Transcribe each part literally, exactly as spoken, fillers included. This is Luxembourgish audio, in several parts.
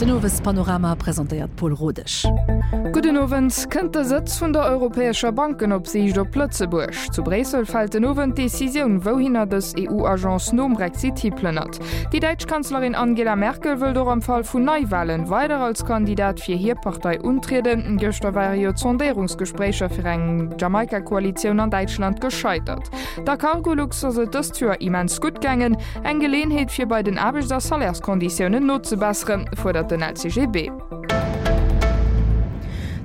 Den Owespanorama presentéiert Paul Rodesch. Gudden Owend. Kënnt de Sëtz vun der europäescher Bankenopsiicht op Lëtzebuerg? Zu Bréissel fält den Owend d'Decisioun, wouhinner dës EU-Agence nom Brexit hiplënnert. Déi däitsch Kanzlerin Angela Merkel wëllt och am Fall vun Neiwalen weider als Kandidat fir hir Partei untrieden. Gëschter ware jo d'Sondéierungsgespréicher fir eng Jamaika-Koalitioun an Däitschland gescheitert. Der Cargolux ass et dëst Joer immens gutt gaangen. Eng Geleeënheet fir bei den Aarbechts a Salärskonditiounen nozebesseren, fuerdert den LCGB.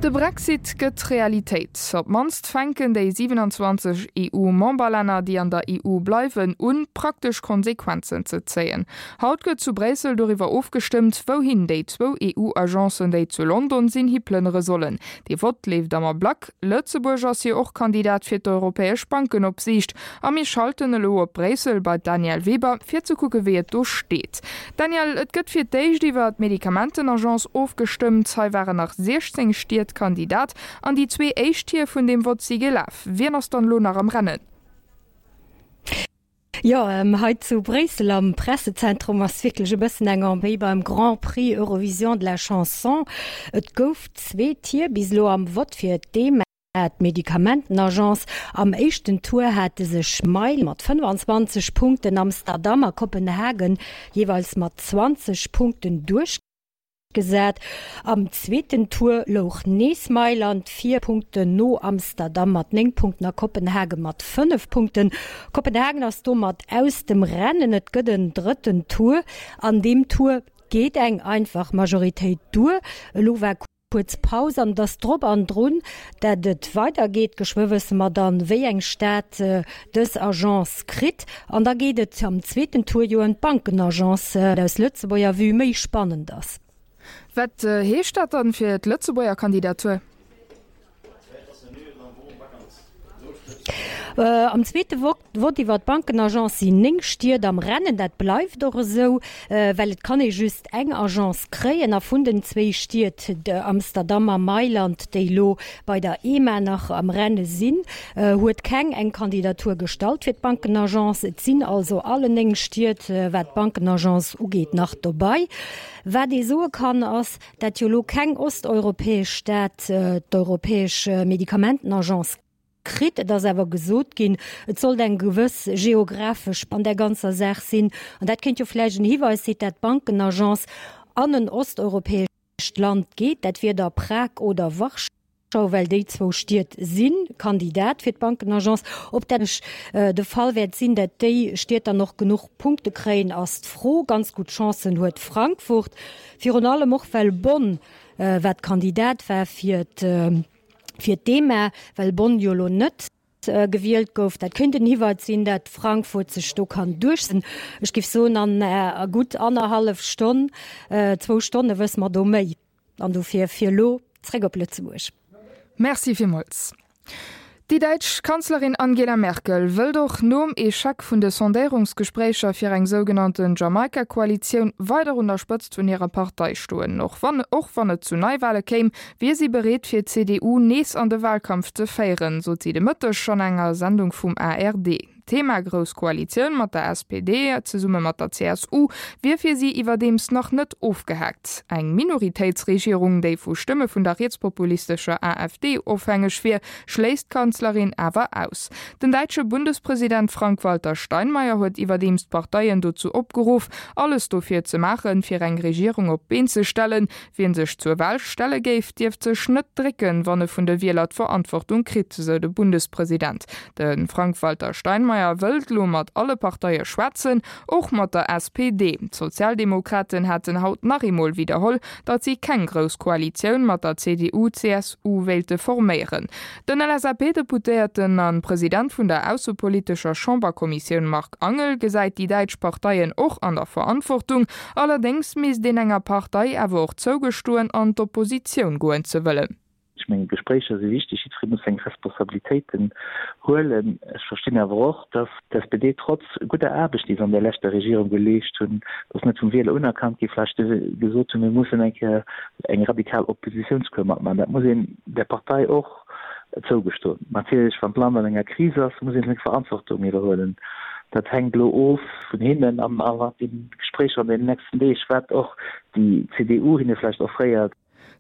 De Brexit gëtt Realitéit. Op d'mannst fänken déi siwenanzwanzeg EU-Memberlänner, déi an der EU bleiwen, un, praktesch Konsequenzen ze zéien. Haut gëtt zu Bréissel doriwwer ofgestëmmt, wouhin déi zwou EU-Agencen, déi zu London sinn, hiplënnere sollen. Dee Vott leeft am Ablack. Lëtzebuerg ass jo och Kandidat fir d'europäesch Bankenopsiicht. A mir schalten elo op Bréissel bei d'Danièle Weber, fir ze kucke wéi et do steet. Danièle, et gëtt fir d'éischt iwwer d'Medikamentenagence ofgestëmmt. Hei waren nach siechzéng Stied Kandidat an déi zwee éischt Tier vun deem Vott si gelaf. Wien ass dann elo nach am Rennen? Jo, hei zu Bréissel am Pressezentrum ass wierklech e bëssen eng wéi beim Grand Prix Eurovision de la Chanson. Et gouf zwee Tier bis elo am Vott fir d'EMA, d'Medikamentenagence. Am éischten Tour hate sech Mailand mat fënnefanzwanzeg Punkten, Amsterdam a Kopenhagen jeeweils mat zwanzeg Punkten duerchgesat. Am zweeten Tour louch nees Mailand vir, Punkten no Amsterdam mat néng Punkten a Kopenhagen mat fënnef Punkten. Kopenhagen ass domat aus dem Rennen. Et gëtt en drëtten Tour. An deem Tour geet eng einfach Majoritéit duer. Elo war kuerz Paus an et ass drop an drun, dat et weider geet. Geschwë wësse mer dann, wéi eng Stad dës Agence kritt. An da geet et am zweeten Tour jo ëm d'Bankenagence, wat aus Lëtzebuerger Vue méi spannend ass. Wat heescht dat dann fir d'Lëtzebuerger Kandidatur? Am zweete Vott iwwer d'Bankenagence sinn néng Stied am Rennen. Dat bleift och esou, well et kann ee just eng Agence kréien. A vun den zwéi Stied, Amsterdam a Mailand, déi elo bei der EMA nach am Renne sinn, huet keng eng Kandidatur gestallt fir d'Bankenagence. Et sinn also alle néng Stied, wat d'Bankenagence ugeet, nach dobei. Wat ee soe kann, ass, dat jo elo keng osteuropäesch Stad d'europäesch Medikamentenagence kritt. Et ass awer gesot ginn, et sollt eng gewëss geographesch an där ganzer Saach sinn. An dat kéint jo vläicht en Hiweis sinn, dat d'Bankenagence an en osteuropäescht Land geet. Dat wier da Prag oder Warschau, well déi zwou Stied si Kandidat fir d'Bankenagence. Ob dat de Fall wäert sinn, dat déi Stied dann och genuch Punkte kréien, ass d'Fro. Ganz gutt Chancen huet Frankfurt, virun allem och well Bonn, wat Kandidat war fir fir d'EMA, well Bonn jo elo net gewielt gouf. Dat kéint en Hiwweis sinn, dat Frankfurt sech do kann duerchsetzen. Ech géif soen, an gutt annerhallef Stonn, zwou Stonne wësse mer do méi. An dofir fir elo zréck op Lëtzebuerg. Merci villmools. Déi däitsch Kanzlerin Angela Merkel wëllt och nom Echec vun de Sondéierungsgespréicher fir eng sougenannten Jamaika-Koalitioun weider un der Spëtzt vun hirer Partei stoen. Och wann och wann et zu Neiwale kéim, wier si bereet fir d'CDU nees an de Walkampf ze féieren, sot si de Mëtteg an enger Sendung vum ARD. D'Thema Grouss Koalitioun mat der S P D zesumme mat der C S U wier fir si iwwerdeems nach net ofgehaakt. Eng Minoritéitsregierung, déi vu Stëmme vun der rietspopulistescher A F D ofhängeg wier, schléisst d'Kanzlerin awer aus. Den däitsche Bundespresident Frank-Walter Steinmeier huet iwwerdeems d'Parteien dozou opgeruff, alles dofir ze maachen, fir eng Regierung op d'Been ze stellen. Wien sech zur Wahl stelle géif, dierft sech net drécken, wann e vun de Wieler d'Verantwortung kritt, sou de Bundespresident. De Frank-Walter Steinmeier wëllt elo mat alle Parteie schwätzen, och mat der S P D. D'Sozialdemokraten haten haut nach eemol widderholl, datt si keng grouss Koalitioun mat der C D U C S U wéilte forméieren. Den L S A P-Deputéierten a President vun der aussepolitescher Chamberkommissioun Marc Angel gesäit déi däitsch Parteien och an der Verantwortung, allerdéngs misst een enger Partei awer och zougestoen, an d'Oppositioun goen ze wëllen. Ech mengen, Gespréicher si wichteg, jiddweree muss seng Responsabilitéiten huelen. Ech verstinn awer och, datt d'S P D trotz gudder Aarbecht, déi se an der leschter Regierung geleescht hunn, datt net vum Wieler unerkannt gi vläicht gesot hunn, mir mussen eng Kéier eng radikal Oppositiounscour matmaachen. Dat muss een där Partei och zougestoen. Natierlech, wann d'Land an enger Kris ass, muss ee seng Verantwortung iwwerhuelen. Dat hänkt elo of vun hinnen an an de Gespréicher an den nächsten Deeg, wat och déi C D U hinne vläicht offréiert.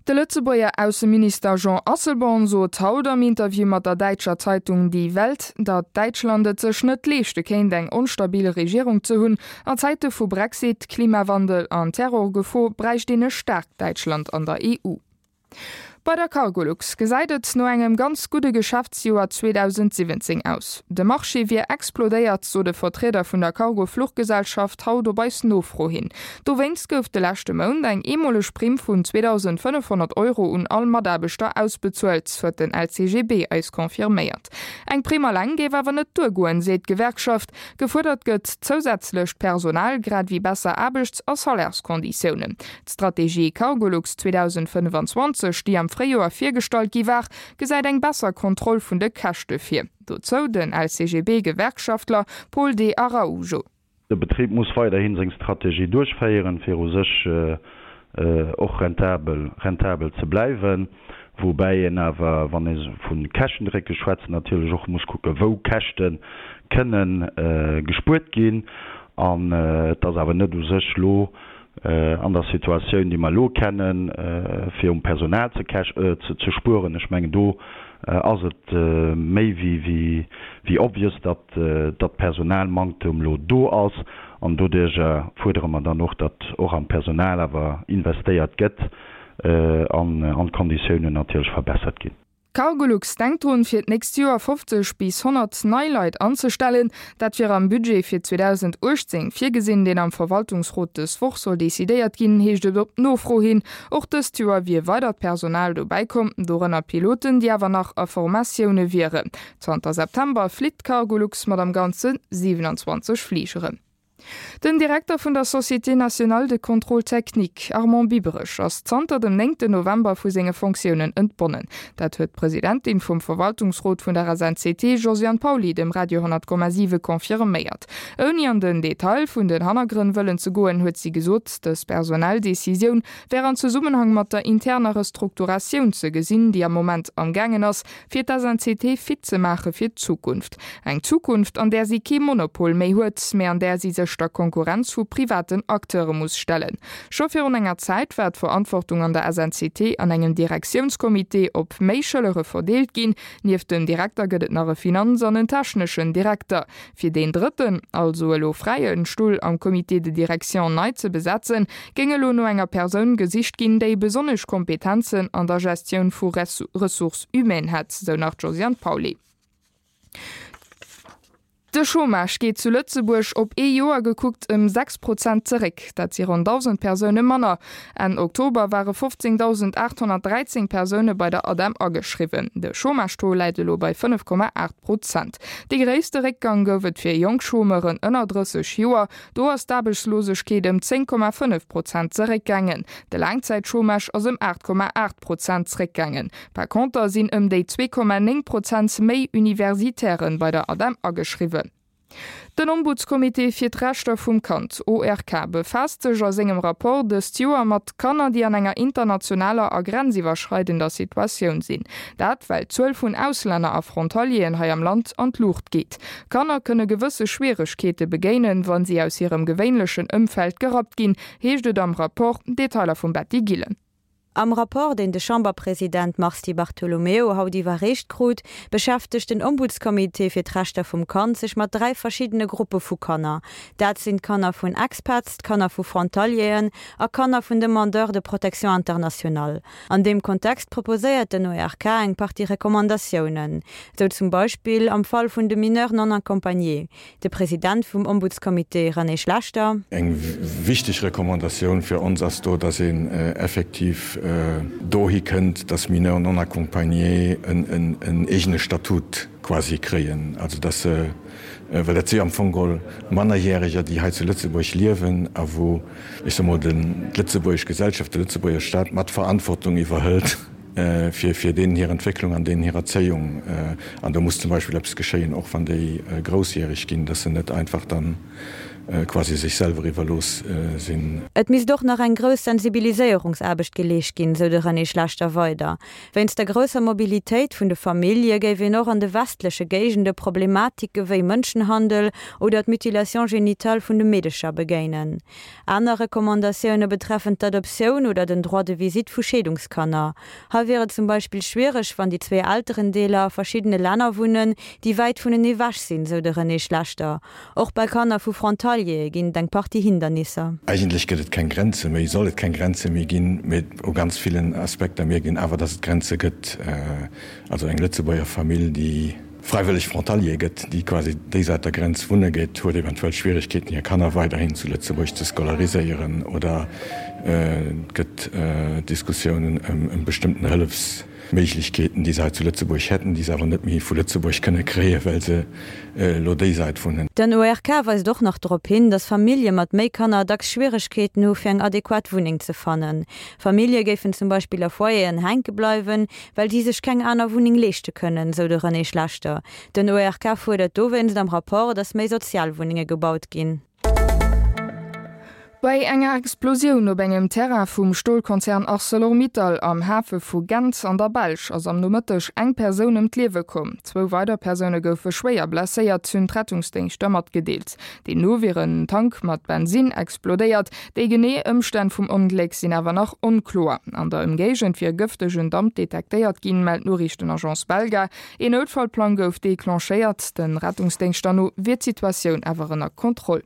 De Lëtzebuerger Ausseminister Jean Asselborn sot haut am Interview mat der däitscher Zeitung Die Welt, datt Däitschland et sech net leeschte kéint eng onstabil Regierung ze hunn. An Zäite vu Brexit, Klimawandel an Terrorgefor bräicht een e staarkt Däitschland an der E U. Bei der Cargolux gesäit et no engem ganz gudde Geschäftsjoer zweedausendsiwwenzéng aus. De Marché wier explodéiert, sot e Vertrieder vun der Cargo-Fluchgesellschaft haut op eis Nofro hin. Dowéinst gouf de leschte Mount eng eemoleg Primm vun zweedausendfënnefhonnert Euro un all Mataarbechter ausbezuelt, huet den L C G B eis confirméiert. Eng Primm eleng géif awer net duergoen, seet d'Gewerkschaft. Gefuerdert gëtt zousätzlecht Personal, grad ewéi besser Aarbechts a Salärskonditiounen. D'Strategie Cargolux zweedausendfënnefenzwanzeg, déi am Fréijoer virgestallt gi war, gesäit eng besser Kontroll vun de Käschte vir. Dozou den L C G B-Gewerkschaftler Paul de Araujo. De Betrib muss weiderhin seng Strategie duerchféieren, fir u sech och rentabel rentabel ze bleiwen, woubäi een awer, wann ee vu Käschtendrécke schwätzt, natierlech och muss kucken, wou Käschte kënne gespuert ginn. An et ass awer net u sech elo an der Situatioun, déi mer elo kennen, fir um Personal ze ze spueren. Ech mengen, do ass et méi wéi wéi obvious, datt datt Personalmanktem elo do ass, an doduerjer fuerdere mer dann och, datt och am Personal awer investéiert gëtt an an d'Konditiounen natierlech verbessert ginn. Cargolux denkt drun, fir d'nächst Joer fofzeg bis honnert nei Leit anzestellen. Dat wier am Budget fir zweedausenduechtzéng virgesinn, deen am Verwaltungsrot dës Woch soll decidéiert ginn, heescht et op Nofro hin. Och dëst Joer wier weidert Personal dobäi komm, dorënner Piloten, déi awer nach a Formatioune wieren. Zanter September flitt Cargolux mat am Ganze siwenanzwanzeg Fligeren. Den Direkter vun der Société nationale de contrôle technique, Armand Biberich, ass zanter dem néngten November vu senge Fonctiounen entbonnen. Dat huet d'Presidentin vum Verwaltungsrot vun der S N C T, Josiane Pauly, dem Radio honnert Komma siwe confirméiert. Ouni an den Detail vun den Hannergrënn wëllen ze goen, huet si gesot, dës personell Decisioun wär an Zesummenhang mat der interner Restrukturatioun ze gesinn, déi am Moment am gaangen ass, fir d'S N C T fit ze maache fir d'Zukunft. Eng Zukunft, an där si kee Monopol méi huet, mä an där si sech der Konkurrenz vu privaten Acteure muss stellen. Scho virun enger Zäit war d'Verantwortung an der S N C T an engem Direktiounscomité op méi Schëllere verdeelt ginn. Nieft dem Direkter gëtt et nach e Finanz an en techneschen Direkter. Fir deen drëtten, also elo fräien Stull am Comité de direction nei ze besetzen, géing elo no enger Persoun gesicht ginn, déi besonnesch Kompetenzen an der Gestioun vu Ressources humaines hätt, sou nach d'Josiane Pauly. De Chômage geet zu Lëtzebuerg op ee Joer gekuckt ëm sechs Prozent zeréck. Dat si ronn dausend Persoune manner. Enn Oktober ware fofzéngdausendaathonnertdräizéng Persoune bei der ADEM ageschriwwen. De Chômage-Taux läit elo bei fënnef Komma aacht Prozent. De gréisste Réckgang gouf et fir jonk Chômeuren ënner drësseg Joer. Do ass d'Aarbechtslosegkeet ëm zéng Komma fënnef Prozent zeréckgaangen. De Laangzäitchômage ass ëm aacht Komma aacht Prozent zeréckgaangen. Par conter sinn ëm déi zwee Komma néng Prozent méi Universitairen bei der ADEM ageschriwwen. Den Ombudscomité fir d'Rechter vum Kand, O R K, befaasst sech a sengem Rapport dëst Joer mat Kanner, déi an enger internationaler a grenziwwerschreidender Situatioun sinn. Dat, well d'Zuel vun Auslänner a Frontalieren hei am Land an d'Luucht geet. Kanner kënne gewësse Schwieregkeete begéinen, wa si aus hirem gewéinlechen Ëmfeld gerappt ginn, heescht et am Rapport. Detailer vum Betty Gillen. Am Rapport, deen de Chamberpresident Mars Di Bartolomeo haut iwwerreecht krut, beschäftegt den Ombudscomité fir d'Rechter vum Kand sech mat dräi verschiddene Gruppe vu Kanner. Dat sinn d'Kanner vun Expats, d'Kanner vu Frontalieren a Kanner vun Demandeurs de protection internationale. An deem Kontext proposéiert den O R K eng Partie Recommandatiounen. Sou zum Beispill am Fall vun de Mineurs non accompagnés. De President vum Ombudscomité René Schlechter. Eng wichteg Recommandatioun fir ons ass do, dass een effektiv dohi kënnt, dass Mineurs non accompagnés en en eegene Statut quasi kréien, also dass se, well dat si am Fong geholl Mannerjäreger, déi hei zu Lëtzebuerg liewen a wou, ech soe mol, den d'lëtzebuergesch Gesellschaft, de Lëtzebuerger Staat mat Verantwortung iwwerhëlt fir fir deenen hir Entwécklung an deenen hir Erzéiung. An do muss zum Beispill eppes geschéien, och wann déi groussjäreg ginn, dass se net einfach dann quasi sech selwer iwwerlooss sinn. Et misst och nach eng grouss Sensibiliséierungsaarbecht geleescht ginn, sou de René Schlechter weider. Wéinst der grousser Mobilitéit vun de Famillje géif een och an de westleche Géigende Problematike wéi Mënschenhandel oder d'Mutilation génitale vun de Meedecher begéinen. Aner Recommandatioune betreffen d'Adoptioun oder den Droit de visite vu Scheedungskanner. Hei wier et zum Beispill schwiereg, wann déi zwee Elterendeeler a verschiddene Länner wunnen, déi wäit vunenee ewech sinn, sou de René Schlechter. Och bei Kanner vu Frontaliere ginn et eng Partie Hindernisser. Eigentlech gëtt et keng Grenze méi, soll et keng Grenze méi ginn, mee u ganz villen Aspekter mierkt een awer, dass et Grenze gëtt. Also eng Lëtzebuerger Famill, déi fräiwëlleg Frontalier gëtt, déi quasi déi Säit der Grenz wunne geet, huet eventuell Schwierigkeeten, hir Kanner weiderhin zu Lëtzebuerg ze scolariséieren oder et gëtt Diskussiounen ëm bestëmmten Hëllefsméiglechkeeten, déi se hei zu Lëtzebuerg hätten, déi se awer net méi vu Lëtzebuerg kënne kréien, well se elo déi Säit wunnen. Den O R K weist och nach drop hin, datt Famillje mat méi Kanner dacks Schwieregkeeten hu fir eng adequat Wunneng ze fannen. Famillje géifen zum Beispill a Foyeren hänke bleiwen, well si sech keng aner Wunneng leeschte kënnen, sou de René Schlechter. Den O R K fuerdert dowéinst am Rapport, datt méi Sozialwunnenge gebaut ginn. Bei enger Explosioun op engem Terrain vum Stolkonzern ArcelorMittal am Hafe vu Gent an der Belsch ass am Nomëtteg eng Persoun ëm d'Liewe komm. Zwou weider Persoune goufe schwéier blesséiert, hunn d'Rettungsdéngschter matgedeelt. Deemno wier en Tank mat Bensinn explodéiert. Déi genee Ëmstänn vum Ongléck sinn awer nach onkloer. An der Ëmgéigend wier gëftegen Damp detektéiert ginn, mellt d'Noriichtenagence Belga. Een Noutfallplang gouf declenchéiert. De Rettungsdéngschter no wier d'Situatioun awer ënner Kontroll.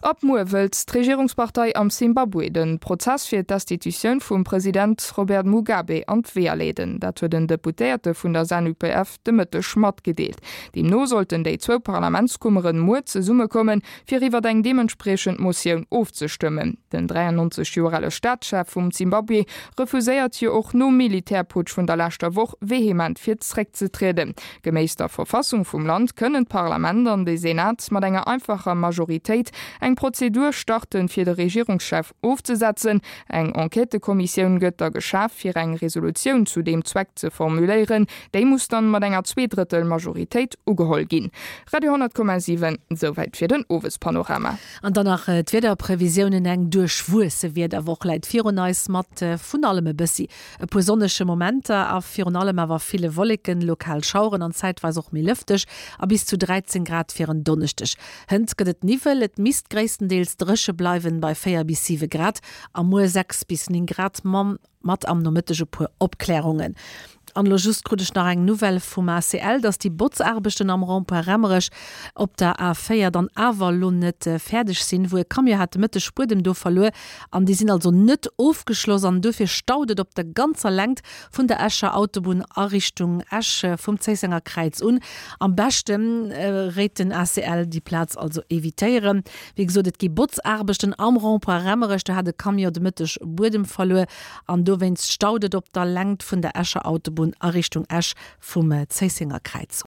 Ab muer wëllt d'Regierungspartei am Simbabwe de Prozess fir d'Destitutioun vum President Robert Mugabe an d'Weeër leeden. Dat huet en Deputéierte vun der ZANU-P F de Mëtteg matgedeelt. Deemno sollten déi zwou Parlamentskummeren muer zesummekommen, fir iwwer eng deementspriechend Motioun ofzestëmmen. Den dräiannonzeg Joer ale Staatschef vum Simbabwe refuséiert jo och nom Militärputsch vun der leschter Woch vehement fir zeréckzetrieden. Geméiss der Verfassung vum Land kënnen d'Parlament an de Senat mat enger einfacher Majoritéit eng Prozedur starten, fir de Regierungschef ofzesetzen. Eng Enquêtëkommissioun gëtt da geschaf, fir eng Resolutioun zu deem Zweck ze formuléieren. Déi muss dann mat enger Zweedrëttel-Majoritéit ugeholl ginn. Radio honnert Komma siwen, souwäit fir den Owespanorama. An dann nach d'Wiederprevisiounen, Eng duerchwuesse Wiederwoch läit virun eis mat vun allem e bëssi, e puer sonnege Momenter a virun allem awer ville Wolleken, lokal Schaueren an zäitweis och méi lëfteg a bis zu dräizéng Grad fir en Donneschdeg. Hënt gëtt et Niwwel, et misst gréisstendeels dréche bleiwen bei véier bis siwe Grad a muer sechs bis néng Grad mat am Nomëtteg e puer Opklärungen. An elo just krut ech nach eng Nouvelle vum A C L, dass déi Botzaarbechten am Rond-point Raemerech op der A véier dann awer elo net fäerdeg sinn, wou e Camion hat de Mëtteg Buedem do verluer an déi sinn also net ofgeschloss an dofir staut et op der ganzer Längt vun der Escher Autobunn a Richtung Esch vum Zéissenger Kräiz un. Am beschte réit den A C L déi Plaz also evitéieren. Wéi gesot, et gi Botzaarbechten am Rond-point Raemerech, do hat e Camion de Mëtteg Buedem verluer an dowéinst staut et op der Längt vun der Escher Autobunn a Richtung Esch vum Zéissenger Kräiz.